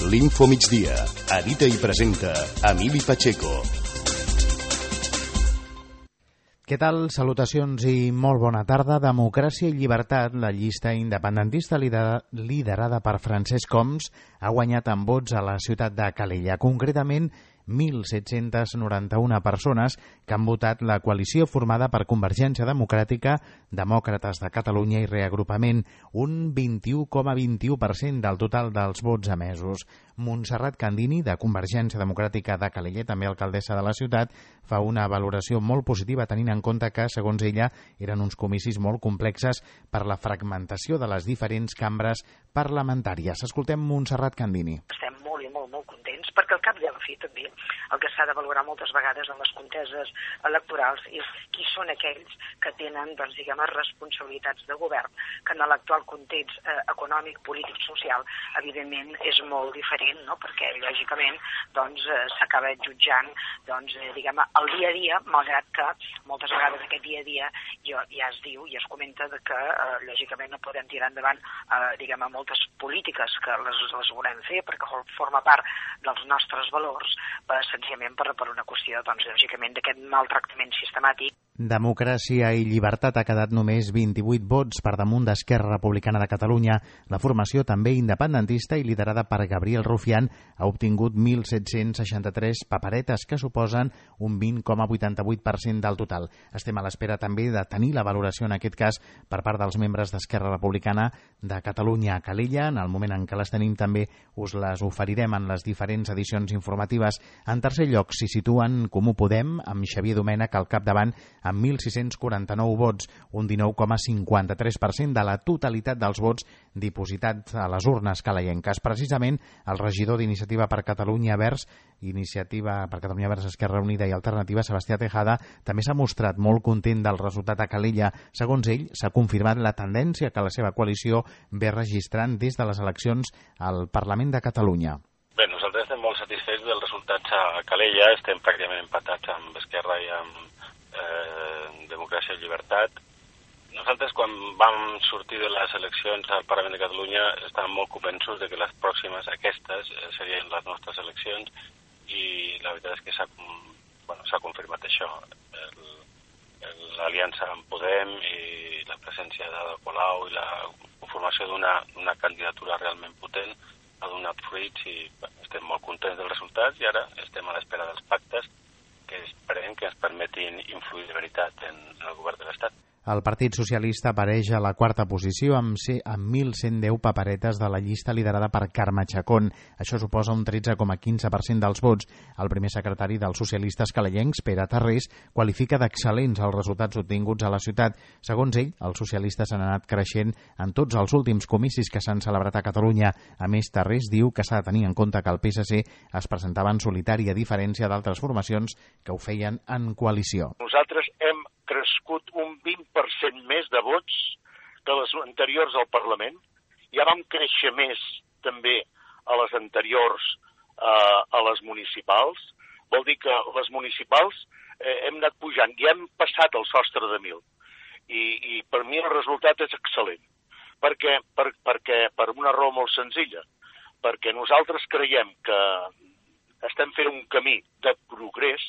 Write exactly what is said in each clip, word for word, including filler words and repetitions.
l'Info Migdia. Edita i presenta Emili Pacheco. Què tal? Salutacions i molt bona tarda. Democràcia i llibertat, la llista independentista liderada per Francesc Homs, ha guanyat en vots a la ciutat de Calella. Concretament, mil set-cents noranta-una persones que han votat la coalició formada per Convergència Democràtica, Demòcrates de Catalunya i Reagrupament, un vint-i-u coma vint-i-u per cent del total dels vots emesos. Montserrat Candini, de Convergència Democràtica de Calella, també alcaldessa de la ciutat, fa una valoració molt positiva tenint en compte que, segons ella, eren uns comicis molt complexes per la fragmentació de les diferents cambres parlamentàries. Escoltem Montserrat Candini. Estem molt i molt, molt contents, perquè al cap i a la fi també el que s'ha de valorar moltes vegades en les conteses electorals és qui són aquells que tenen, doncs, diguem, responsabilitats de govern, que en l'actual context eh, econòmic, polític, social, evidentment és molt diferent, no? Perquè, lògicament, doncs, eh, s'acaba jutjant, doncs, eh, diguem, el dia a dia, malgrat que moltes vegades aquest dia a dia ja, ja es diu i es comenta de que, eh, lògicament, no podem tirar endavant, eh, diguem, moltes polítiques que les, les volem fer perquè forma part dels nostres valors, per, senzillament per, per una qüestió, doncs, lògicament, d'aquest maltractament sistemàtic. Democràcia i llibertat ha quedat només vint-i-vuit vots per damunt d'Esquerra Republicana de Catalunya. La formació, també independentista i liderada per Gabriel Rufián, ha obtingut mil set-cents seixanta-tres paperetes, que suposen un vint coma vuitanta-vuit per cent del total. Estem a l'espera també de tenir la valoració, en aquest cas, per part dels membres d'Esquerra Republicana de Catalunya a Calella. En el moment en què les tenim també us les oferirem en les diferents edicions informatives. En tercer lloc s'hi situen Comú Podem, amb Xavier Domènech al capdavant, amb mil sis-cents quaranta-nou vots, un dinou coma cinquanta-tres per cent de la totalitat dels vots dipositats a les urnes calellenques. Precisament, el regidor d'Iniciativa per Catalunya Verds, Iniciativa per Catalunya Verds, Esquerra Unida i Alternativa, Sebastià Tejada, també s'ha mostrat molt content del resultat a Calella. Segons ell, s'ha confirmat la tendència que la seva coalició ve registrant des de les eleccions al Parlament de Catalunya. Bé, nosaltres estem molt satisfets dels resultats a Calella, estem pràcticament empatats amb Esquerra i amb eh, Democràcia i Llibertat. Nosaltres, quan vam sortir de les eleccions al Parlament de Catalunya, estàvem molt convençuts de que les pròximes, aquestes, serien les nostres eleccions, i la veritat és que s'ha bueno, s'ha confirmat això. L'aliança amb Podem i la presència d'Ada Colau i la conformació d'una candidatura realment potent ha donat fruits i bueno, estem molt contents dels resultats i ara estem a l'espera dels pactes que esperem que ens permetin influir de veritat en el govern de l'Estat. El Partit Socialista apareix a la quarta posició amb, amb mil cent deu paperetes de la llista liderada per Carme Chacón. Això suposa un tretze coma quinze per cent dels vots. El primer secretari dels socialistes calellencs, Pere Tarrés, qualifica d'excel·lents els resultats obtinguts a la ciutat. Segons ell, els socialistes han anat creixent en tots els últims comicis que s'han celebrat a Catalunya. A més, Tarrés diu que s'ha de tenir en compte que el P S C es presentava en solitari, a diferència d'altres formacions que ho feien en coalició. Nosaltres hem crescut un vint per cent més de vots que les anteriors al Parlament. Ja vam créixer més també a les anteriors eh, a les municipals. Vol dir que les municipals eh, hem anat pujant i hem passat el sostre de mil. I, i per mi el resultat és excel·lent. Perquè, per, perquè, per una raó molt senzilla. Perquè nosaltres creiem que estem fent un camí de progrés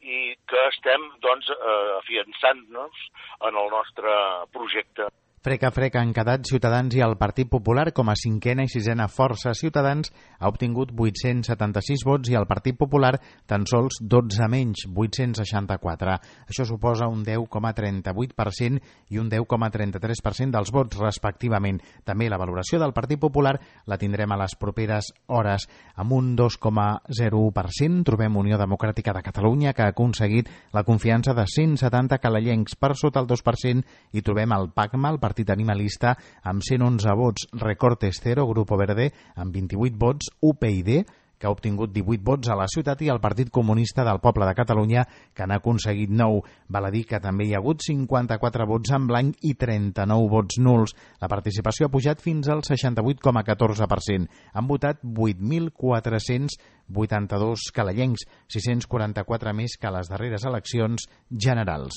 i que estem, doncs, eh, afiançant-nos en el nostre projecte. Frec a frec han quedat Ciutadans i el Partit Popular. Com a cinquena i sisena força, Ciutadans ha obtingut vuit-cents setanta-sis vots i el Partit Popular tan sols dotze menys, vuit-cents seixanta-quatre. Això suposa un deu coma trenta-vuit per cent i un deu coma trenta-tres per cent dels vots, respectivament. També la valoració del Partit Popular la tindrem a les properes hores. Amb un dos coma zero u per cent trobem Unió Democràtica de Catalunya, que ha aconseguit la confiança de cent setanta calellencs. Per sota el dos per cent i trobem el PACMA, el Partit Animalista, amb cent onze vots, Recortes Cero, Grupo Verde, amb vint-i-vuit vots, U P y, que ha obtingut divuit vots a la ciutat, i el Partit Comunista del Poble de Catalunya, que n'ha aconseguit nou. Val a dir que també hi ha hagut cinquanta-quatre vots en blanc i trenta-nou vots nuls. La participació ha pujat fins al seixanta-vuit coma catorze per cent. Han votat vuit mil quatre-cents vuitanta-dos calellencs, sis-cents quaranta-quatre més que a les darreres eleccions generals.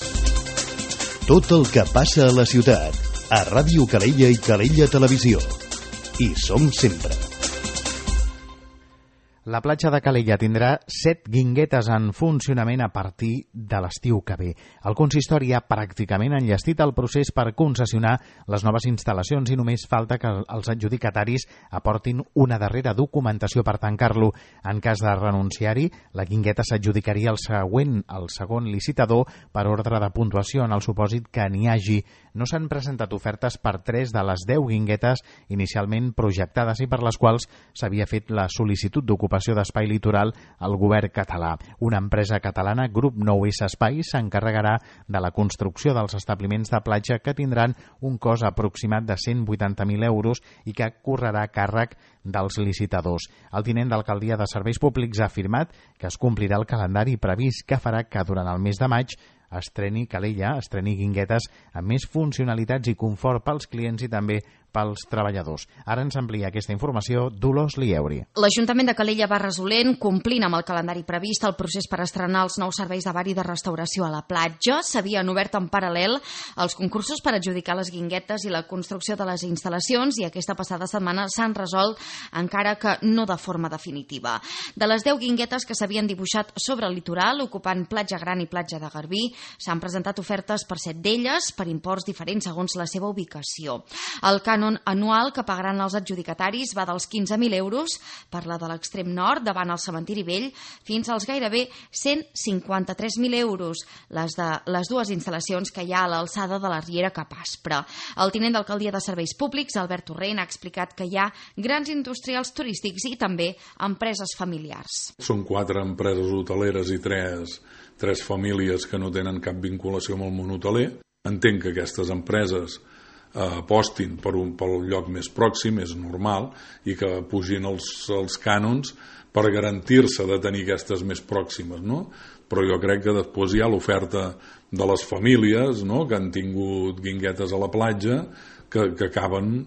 Tot el que passa a la ciutat, a Ràdio Calella i Calella Televisió. Hi som sempre. La platja de Calella tindrà set guinguetes en funcionament a partir de l'estiu que ve. El consistori ha pràcticament enllestit el procés per concessionar les noves instal·lacions i només falta que els adjudicataris aportin una darrera documentació per tancar-lo. En cas de renunciar-hi, la guingueta s'adjudicaria el següent, el segon licitador per ordre de puntuació en el supòsit que n'hi hagi. No s'han presentat ofertes per tres de les deu guinguetes inicialment projectades i per les quals s'havia fet la sol·licitud d'ocupació d'espai litoral al govern català. Una empresa catalana, Grup nou essa Espais, s'encarregarà de la construcció dels establiments de platja que tindran un cost aproximat de cent vuitanta mil euros i que correrà a càrrec dels licitadors. El tinent d'alcaldia de Serveis Públics ha afirmat que es complirà el calendari previst que farà que durant el mes de maig estreni Calella, estreni guinguetes amb més funcionalitats i confort pels clients i també pels treballadors. Ara ens amplia aquesta informació Dolors Lieuri. L'Ajuntament de Calella va resolent, complint amb el calendari previst, el procés per estrenar els nous serveis de bar i de restauració a la platja. S'havien obert en paral·lel els concursos per adjudicar les guinguetes i la construcció de les instal·lacions i aquesta passada setmana s'han resolt, encara que no de forma definitiva. De les deu guinguetes que s'havien dibuixat sobre el litoral, ocupant Platja Gran i Platja de Garbí, s'han presentat ofertes per set d'elles, per imports diferents segons la seva ubicació. El cànon anual que pagaran els adjudicataris va dels quinze mil euros per la de l'extrem nord, davant el cementiri vell, fins als gairebé cent cinquanta-tres mil euros, les de les dues instal·lacions que hi ha a l'alçada de la Riera Cap Aspre. El tinent d'alcaldia de Serveis Públics, Albert Torrent, ha explicat que hi ha grans industrials turístics i també empreses familiars. Són quatre empreses hoteleres i tres, tres famílies que no tenen cap vinculació amb el món hoteler. Entenc que aquestes empreses apostin per un, pel lloc més pròxim, és normal, i que pugin els, els cànons per garantir-se de tenir aquestes més pròximes, no? Però jo crec que després hi ha l'oferta de les famílies, no?, que han tingut guinguetes a la platja, que, que acaben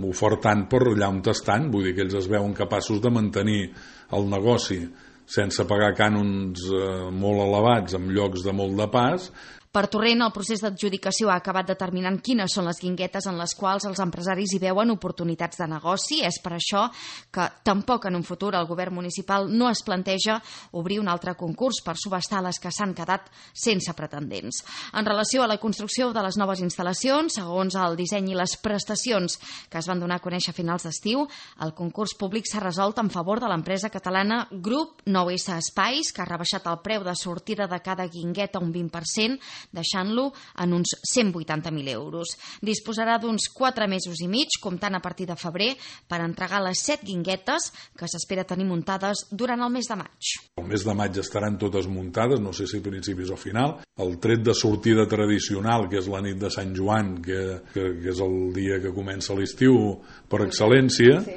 ofertant per allà on estan, vull dir que ells es veuen capaços de mantenir el negoci sense pagar cànons eh, molt elevats en llocs de molt de pas. Per Torrent, el procés d'adjudicació ha acabat determinant quines són les guinguetes en les quals els empresaris hi veuen oportunitats de negoci. És per això que tampoc en un futur el govern municipal no es planteja obrir un altre concurs per subhastar les que s'han quedat sense pretendents. En relació a la construcció de les noves instal·lacions, segons el disseny i les prestacions que es van donar a conèixer a finals d'estiu, el concurs públic s'ha resolt en favor de l'empresa catalana Grup nou essa Espais, que ha rebaixat el preu de sortida de cada guingueta un vint per cent, deixant-lo en uns cent vuitanta mil euros. Disposarà d'uns quatre mesos i mig, comptant a partir de febrer, per entregar les set guinguetes que s'espera tenir muntades durant el mes de maig. El mes de maig estaran totes muntades, no sé si a principis o final. El tret de sortida tradicional, que és la nit de Sant Joan, que, que, que és el dia que comença l'estiu per excel·lència, sí.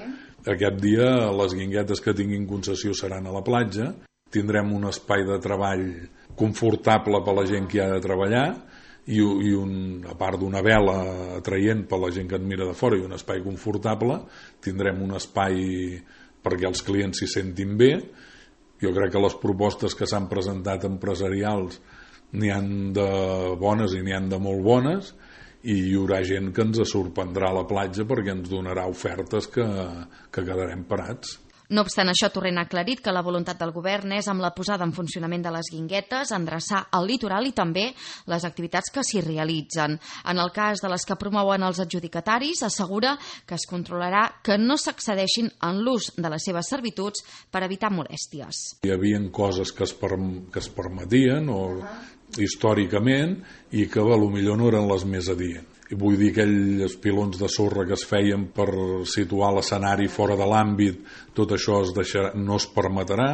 Aquest dia les guinguetes que tinguin concessió seran a la platja. Tindrem un espai de treball confortable per a la gent que hi ha de treballar i, i un, a part d'una vela atraient per a la gent que et mira de fora i un espai confortable, tindrem un espai perquè els clients s'hi sentin bé. Jo crec que les propostes que s'han presentat empresarials n'hi han de bones i n'hi han de molt bones i hi haurà gent que ens sorprendrà a la platja perquè ens donarà ofertes que, que quedarem parats. No obstant això, Torrent ha aclarit que la voluntat del govern és, amb la posada en funcionament de les guinguetes, endreçar el litoral i també les activitats que s'hi realitzen. En el cas de les que promouen els adjudicataris, assegura que es controlarà que no s'excedeixin en l'ús de les seves servituds per evitar molèsties. Hi havia coses que es, per, que es permetien o històricament i que potser no eren les més adients. I vull dir, aquells pilons de sorra que es feien per situar l'escenari fora de l'àmbit, tot això es deixarà, no es permetrà.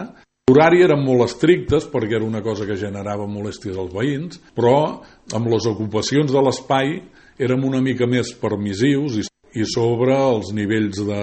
L'horari eren molt estrictes perquè era una cosa que generava molèsties als veïns, però amb les ocupacions de l'espai érem una mica més permissius i i sobre els nivells de,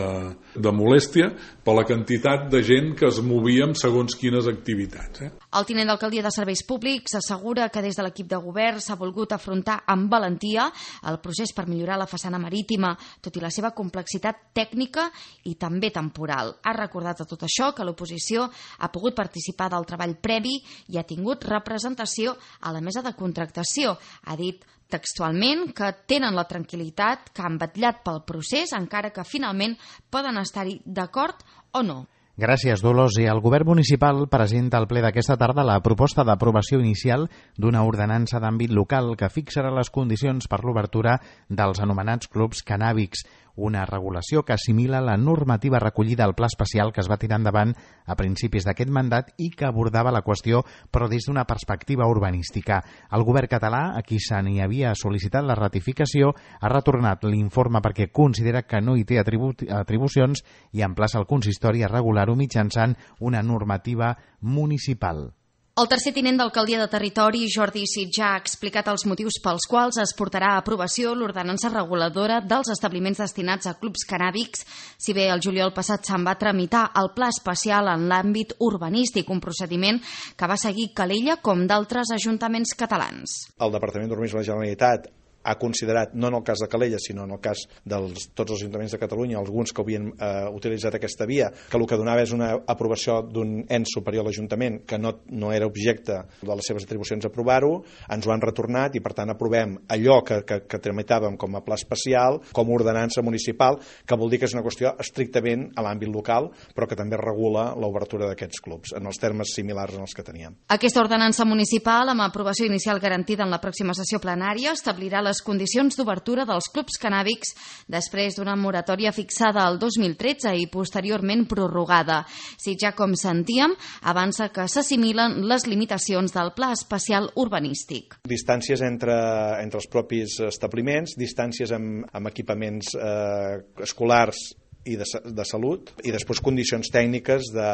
de molèstia per la quantitat de gent que es movia amb segons quines activitats. Eh? El tinent d'alcaldia de Serveis Públics assegura que des de l'equip de govern s'ha volgut afrontar amb valentia el procés per millorar la façana marítima, tot i la seva complexitat tècnica i també temporal. Ha recordat a tot això que l'oposició ha pogut participar del treball previ i ha tingut representació a la mesa de contractació. Ha dit textualment que tenen la tranquil·litat que han vetllat pel procés, encara que finalment poden estar-hi d'acord o no. Gràcies, Dolors. I el Govern Municipal presenta al ple d'aquesta tarda la proposta d'aprovació inicial d'una ordenança d'àmbit local que fixarà les condicions per l'obertura dels anomenats clubs cannàbics, una regulació que assimila la normativa recollida al Pla Especial que es va tirar endavant a principis d'aquest mandat i que abordava la qüestió, però des d'una perspectiva urbanística. El govern català, a qui se n'hi havia sol·licitat la ratificació, ha retornat l'informe perquè considera que no hi té atribu atribucions i emplaça el consistori a regular-ho mitjançant una normativa municipal. El tercer tinent d'alcaldia de Territori, Jordi Sitjà, ha explicat els motius pels quals es portarà a aprovació l'ordenança reguladora dels establiments destinats a clubs cannàbics, si bé el juliol passat se'n va tramitar el pla especial en l'àmbit urbanístic, un procediment que va seguir Calella com d'altres ajuntaments catalans. El Departament d'Urbanisme de la Generalitat ha considerat, no en el cas de Calella, sinó en el cas de tots els ajuntaments de Catalunya, alguns que havien eh, utilitzat aquesta via, que el que donava és una aprovació d'un ens superior a l'Ajuntament que no, no era objecte de les seves atribucions aprovar-ho, ens ho han retornat i per tant aprovem allò que, que, que tramitàvem com a pla especial, com a ordenança municipal, que vol dir que és una qüestió estrictament a l'àmbit local, però que també regula l'obertura d'aquests clubs, en els termes similars en els que teníem. Aquesta ordenança municipal, amb aprovació inicial garantida en la pròxima sessió plenària, establirà la les condicions d'obertura dels clubs cannàbics després d'una moratòria fixada el dos mil tretze i posteriorment prorrogada. Si ja com sentíem, avança que s'assimilen les limitacions del Pla Especial Urbanístic. Distàncies entre, entre els propis establiments, distàncies amb, amb equipaments eh, escolars i de, de salut, i després condicions tècniques de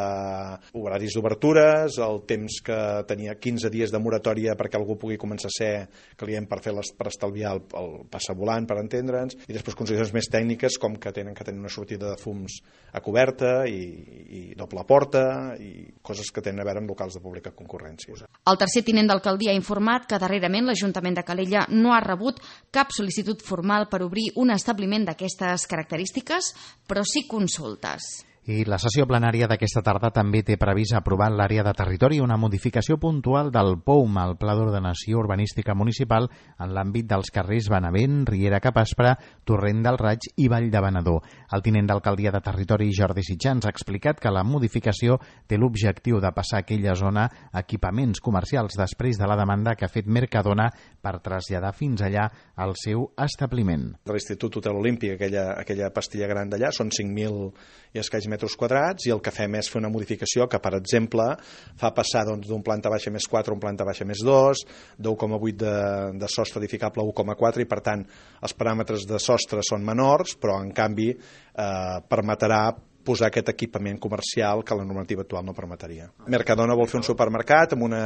horaris d'obertures, el temps que tenia quinze dies de moratòria perquè algú pugui començar a ser client per, fer les, per estalviar el, el passavolant, per entendre'ns, i després condicions més tècniques com que tenen que tenir una sortida de fums a coberta i, i doble porta i coses que tenen a veure amb locals de pública concurrència. El tercer tinent d'alcaldia ha informat que darrerament l'Ajuntament de Calella no ha rebut cap sol·licitud formal per obrir un establiment d'aquestes característiques, però però sí consultes. I la sessió plenària d'aquesta tarda també té previst aprovar en l'àrea de territori una modificació puntual del P O U M, el Pla d'Ordenació Urbanística Municipal, en l'àmbit dels carrers Benavent, Riera Capaspra, Torrent del Raig i Vall de Venedor. El tinent d'alcaldia de Territori, Jordi Sitjà, ha explicat que la modificació té l'objectiu de passar a aquella zona equipaments comercials després de la demanda que ha fet Mercadona per traslladar fins allà el seu establiment. De l'Institut Hotel Olímpic, aquella, aquella pastilla gran d'allà, són cinc mil i escaig metres quadrats, i el que fem és fer una modificació que, per exemple, fa passar doncs, d'un planta baixa més quatre a un planta baixa més dos, d'un coma vuit de, de sostre edificable a un coma quatre, i per tant els paràmetres de sostre són menors, però en canvi eh, permetrà posar aquest equipament comercial que la normativa actual no permetria. Mercadona vol fer un supermercat amb una,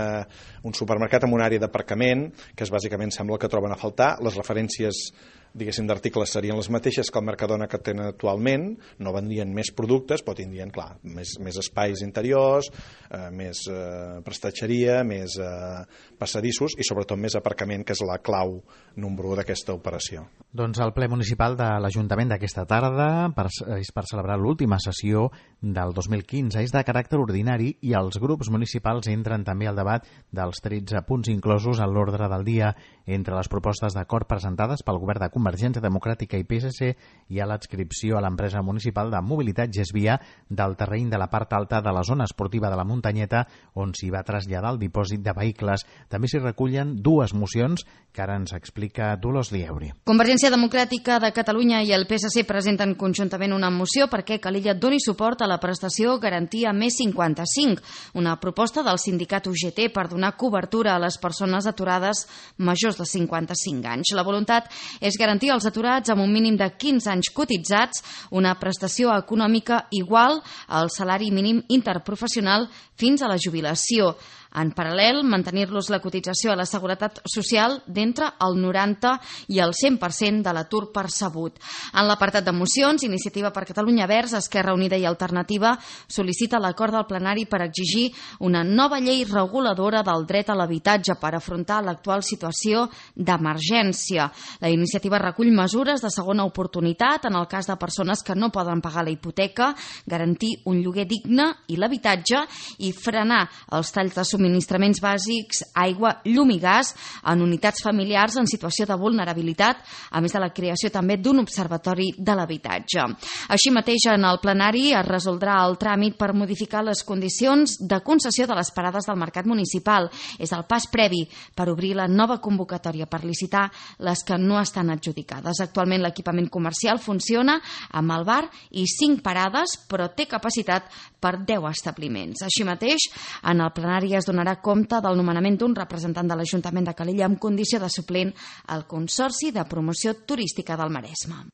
un supermercat amb una àrea d'aparcament, que és bàsicament sembla que troben a faltar. Les referències diguéssim d'articles serien les mateixes que el Mercadona que tenen actualment, no vendrien més productes, però tindrien, clar, més, més espais interiors, eh, més eh, prestatgeria, més eh, passadissos i sobretot més aparcament, que és la clau número u d'aquesta operació. Doncs el ple municipal de l'Ajuntament d'aquesta tarda per, és per celebrar l'última sessió del dos mil quinze. És de caràcter ordinari i els grups municipals entren també al debat dels tretze punts inclosos en l'ordre del dia. Entre les propostes d'acord presentades pel govern de Convergència Democràtica i P S C hi ha l'adscripció a l'empresa municipal de mobilitat Gesvia del terreny de la part alta de la zona esportiva de la Muntanyeta, on s'hi va traslladar el dipòsit de vehicles. També s'hi recullen dues mocions que ara ens explica Dolors Lieuri. Convergència Democràtica de Catalunya i el P S C presenten conjuntament una moció perquè Calella doni suport a la prestació Garantia més cinquanta-cinc, una proposta del sindicat U G T per donar cobertura a les persones aturades majors de cinquanta-cinc anys. La voluntat és garantir als aturats amb un mínim de quinze anys cotitzats una prestació econòmica igual al salari mínim interprofessional fins a la jubilació. En paral·lel, mantenir-los la cotització a la Seguretat Social d'entre el noranta i el cent per cent de l'atur percebut. En l'apartat de mocions, Iniciativa per Catalunya Verds, Esquerra Unida i Alternativa sol·licita l'acord del plenari per exigir una nova llei reguladora del dret a l'habitatge per afrontar l'actual situació d'emergència. La iniciativa recull mesures de segona oportunitat en el cas de persones que no poden pagar la hipoteca, garantir un lloguer digne i l'habitatge i frenar els talls de subministrament subministraments bàsics, aigua, llum i gas en unitats familiars en situació de vulnerabilitat, a més de la creació també d'un observatori de l'habitatge. Així mateix, en el plenari es resoldrà el tràmit per modificar les condicions de concessió de les parades del mercat municipal. És el pas previ per obrir la nova convocatòria per licitar les que no estan adjudicades. Actualment l'equipament comercial funciona amb el bar i cinc parades, però té capacitat per deu establiments. Així mateix, en el plenari es donarà compte del nomenament d'un representant de l'Ajuntament de Calella amb condició de suplent al Consorci de Promoció Turística del Maresme.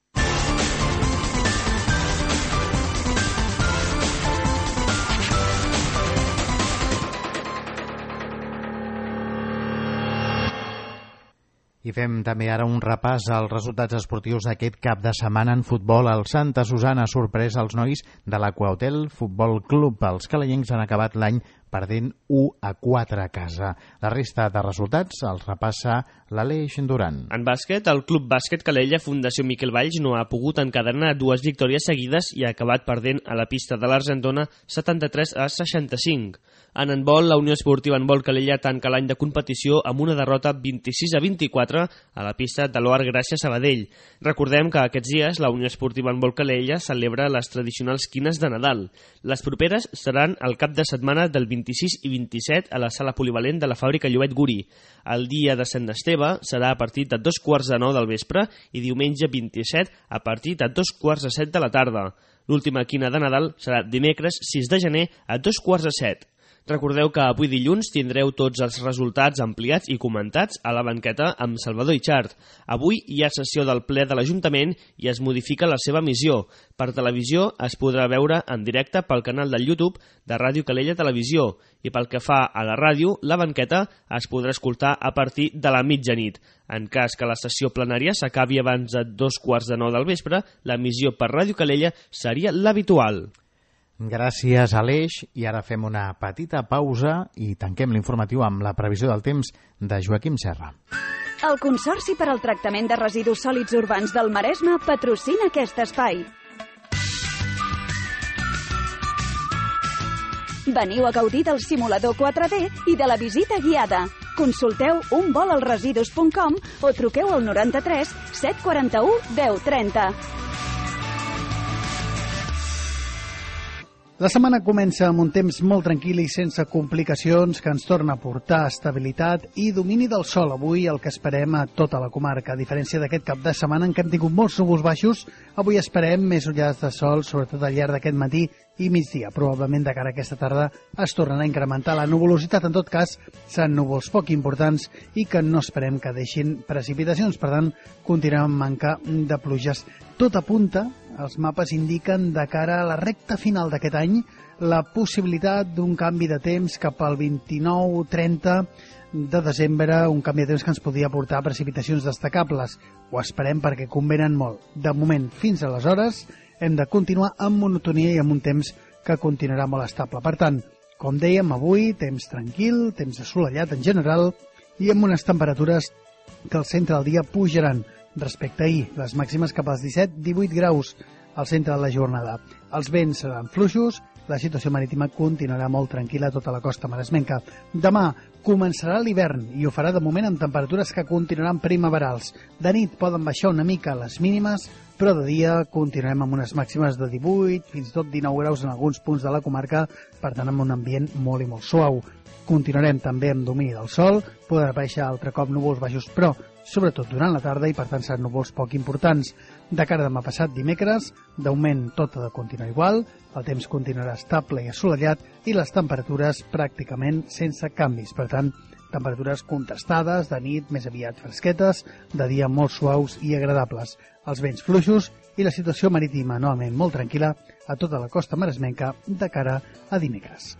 I fem també ara un repàs als resultats esportius d'aquest cap de setmana en futbol. El Santa Susana ha sorprès els nois de l'Aquahotel Futbol Club. Els calayencs han acabat l'any perdent u a quatre a casa. La resta de resultats els repassa l'Aleix Duran. En bàsquet, el Club Bàsquet Calella Fundació Miquel Valls no ha pogut encadenar dues victòries seguides i ha acabat perdent a la pista de l'Argentona setanta-tres a seixanta-cinc. En handbol, la Unió Esportiva Handbol Calella tanca l'any de competició amb una derrota vint-i-sis a vint-i-quatre a la pista de l'Oar Gràcia Sabadell. Recordem que aquests dies la Unió Esportiva Handbol Calella celebra les tradicionals quines de Nadal. Les properes seran el cap de setmana del vint-i-sis i vint-i-set a la sala polivalent de la fàbrica Llobet Guri. El dia de Sant Esteve serà a partir de dos quarts de nou del vespre i diumenge vint-i-set a partir de dos quarts de set de la tarda. L'última quina de Nadal serà dimecres sis de gener a dos quarts de set. Recordeu que avui dilluns tindreu tots els resultats ampliats i comentats a la banqueta amb Salvador Itxart. Avui hi ha sessió del ple de l'Ajuntament i es modifica la seva emissió. Per televisió es podrà veure en directe pel canal del YouTube de Ràdio Calella Televisió i pel que fa a la ràdio, la banqueta es podrà escoltar a partir de la mitjanit. En cas que la sessió plenària s'acabi abans de dos quarts de nou del vespre, l'emissió per Ràdio Calella seria l'habitual. Gràcies, Aleix. I ara fem una petita pausa i tanquem l'informatiu amb la previsió del temps de Joaquim Serra. El Consorci per al Tractament de Residus Sòlids Urbans del Maresme patrocina aquest espai. Veniu a gaudir del simulador quatre D i de la visita guiada. Consulteu un vol al residus punt com o truqueu al noranta-tres set quaranta-u deu trenta. La setmana comença amb un temps molt tranquil i sense complicacions que ens torna a portar estabilitat i domini del sol. Avui el que esperem a tota la comarca. A diferència d'aquest cap de setmana en què hem tingut molts núvols baixos, avui esperem més ullades de sol, sobretot al llarg d'aquest matí i migdia. Probablement de cara a aquesta tarda es tornarà a incrementar la nuvolositat. En tot cas, seran núvols poc importants i que no esperem que deixin precipitacions. Per tant, continuem amb manca de pluges. Tot apunta, els mapes indiquen de cara a la recta final d'aquest any la possibilitat d'un canvi de temps cap al vint-i-nou trenta de desembre, un canvi de temps que ens podria portar precipitacions destacables. Ho esperem perquè convenen molt. De moment, fins aleshores, hem de continuar amb monotonia i amb un temps que continuarà molt estable. Per tant, com dèiem, avui, temps tranquil, temps assolellat en general i amb unes temperatures que al centre del dia pujaran respecte a ahir, les màximes cap als disset a divuit graus al centre de la jornada. Els vents seran fluixos, la situació marítima continuarà molt tranquil·la a tota la costa maresmenca. Demà començarà l'hivern i ho farà de moment amb temperatures que continuaran primaverals. De nit poden baixar una mica les mínimes, però de dia continuarem amb unes màximes de divuit, fins i tot dinou graus en alguns punts de la comarca, per tant amb un ambient molt i molt suau. Continuarem també amb domini del sol, poden aparèixer altre cop núvols baixos, però sobretot durant la tarda i per tant seran núvols poc importants. De cara a demà passat dimecres, d'augment tot ha de continuar igual, el temps continuarà estable i assolellat i les temperatures pràcticament sense canvis. Per tant, temperatures contrastades, de nit més aviat fresquetes, de dia molt suaus i agradables. Els vents fluixos i la situació marítima novament molt tranquil·la a tota la costa maresmenca de cara a dimecres.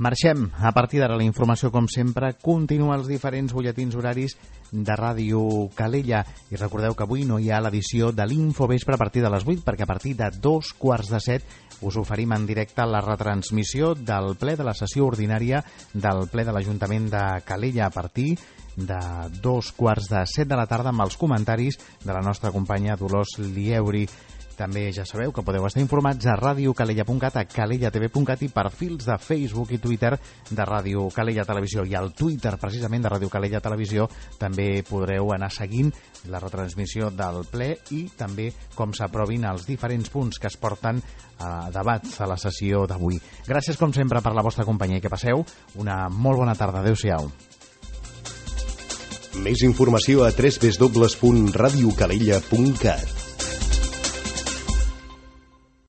Marxem. A partir d'ara la informació, com sempre, continua els diferents butlletins horaris de Ràdio Calella. I recordeu que avui no hi ha l'edició de l'Infovespre a partir de les vuit, perquè a partir de dos quarts de set us oferim en directe la retransmissió del ple de la sessió ordinària del ple de l'Ajuntament de Calella a partir de dos quarts de set de la tarda amb els comentaris de la nostra companya Dolors Lieuri. També ja sabeu que podeu estar informats a ràdio calella punt cat, a calella t v punt cat i perfils de Facebook i Twitter de Ràdio Calella Televisió. I al Twitter, precisament, de Ràdio Calella Televisió, també podreu anar seguint la retransmissió del ple i també com s'aprovin els diferents punts que es porten a debat a la sessió d'avui. Gràcies, com sempre, per la vostra companyia i que passeu una molt bona tarda. Adéu-siau. Més informació a w w w punt ràdio calella punt cat.